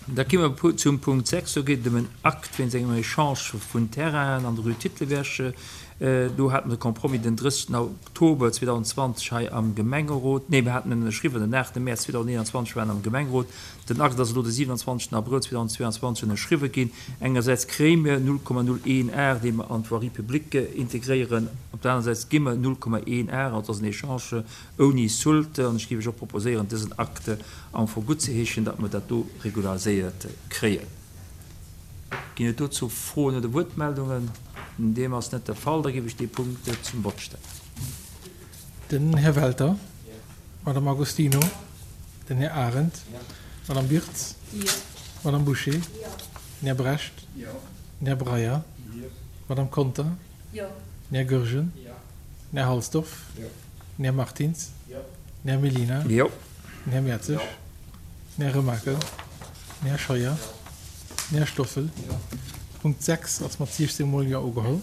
Da gi mer zum Punkt 6. Do geet et ëm en Akt wéinst engem Echange vun Terrainen an der Rue Titelberg. Do hate mer de Compromis den 30 Oktober 2020 hei am Gemengerot, nee, mir haten en ënnerschriwwen den 8 Mäerz 2021 waren am Gemengerot. Den Akt ass elo de 27 Abrëll 2022 ënnerschriwwe ginn. Engersäits kréie mir 0,01 Ar, dee mer an d'Voirie publique integréieren. Op der anerer Säit gi mer 0,1 Ar, also et ass en Echange ouni Soulte. An ech géif iech och proposéieren, dësen Acte am Fong guttzeheeschen, datt mer dat do regulariséiert kréien. Ginn et dozou Froen oder Wuertmeldungen? Deem ass net de Fall. Da géif ech dee Punkt zum Vott stellen. Den Här Welter, d'Madame Agostino, den Här Arendt, d'Madame Birtz, d'Madame Bouché, den Här Brecht, den Här Breyer, d'Madame Conter, den Här Goergen, den Här Halsdorf, Den Här Martins. Den Här Mellina. Den Här Mertzig. Den Här Remakel. Den Här Scheuer. Den Här Stoffel. Punkt 6 ass mat 16 mol Jo ugeholl.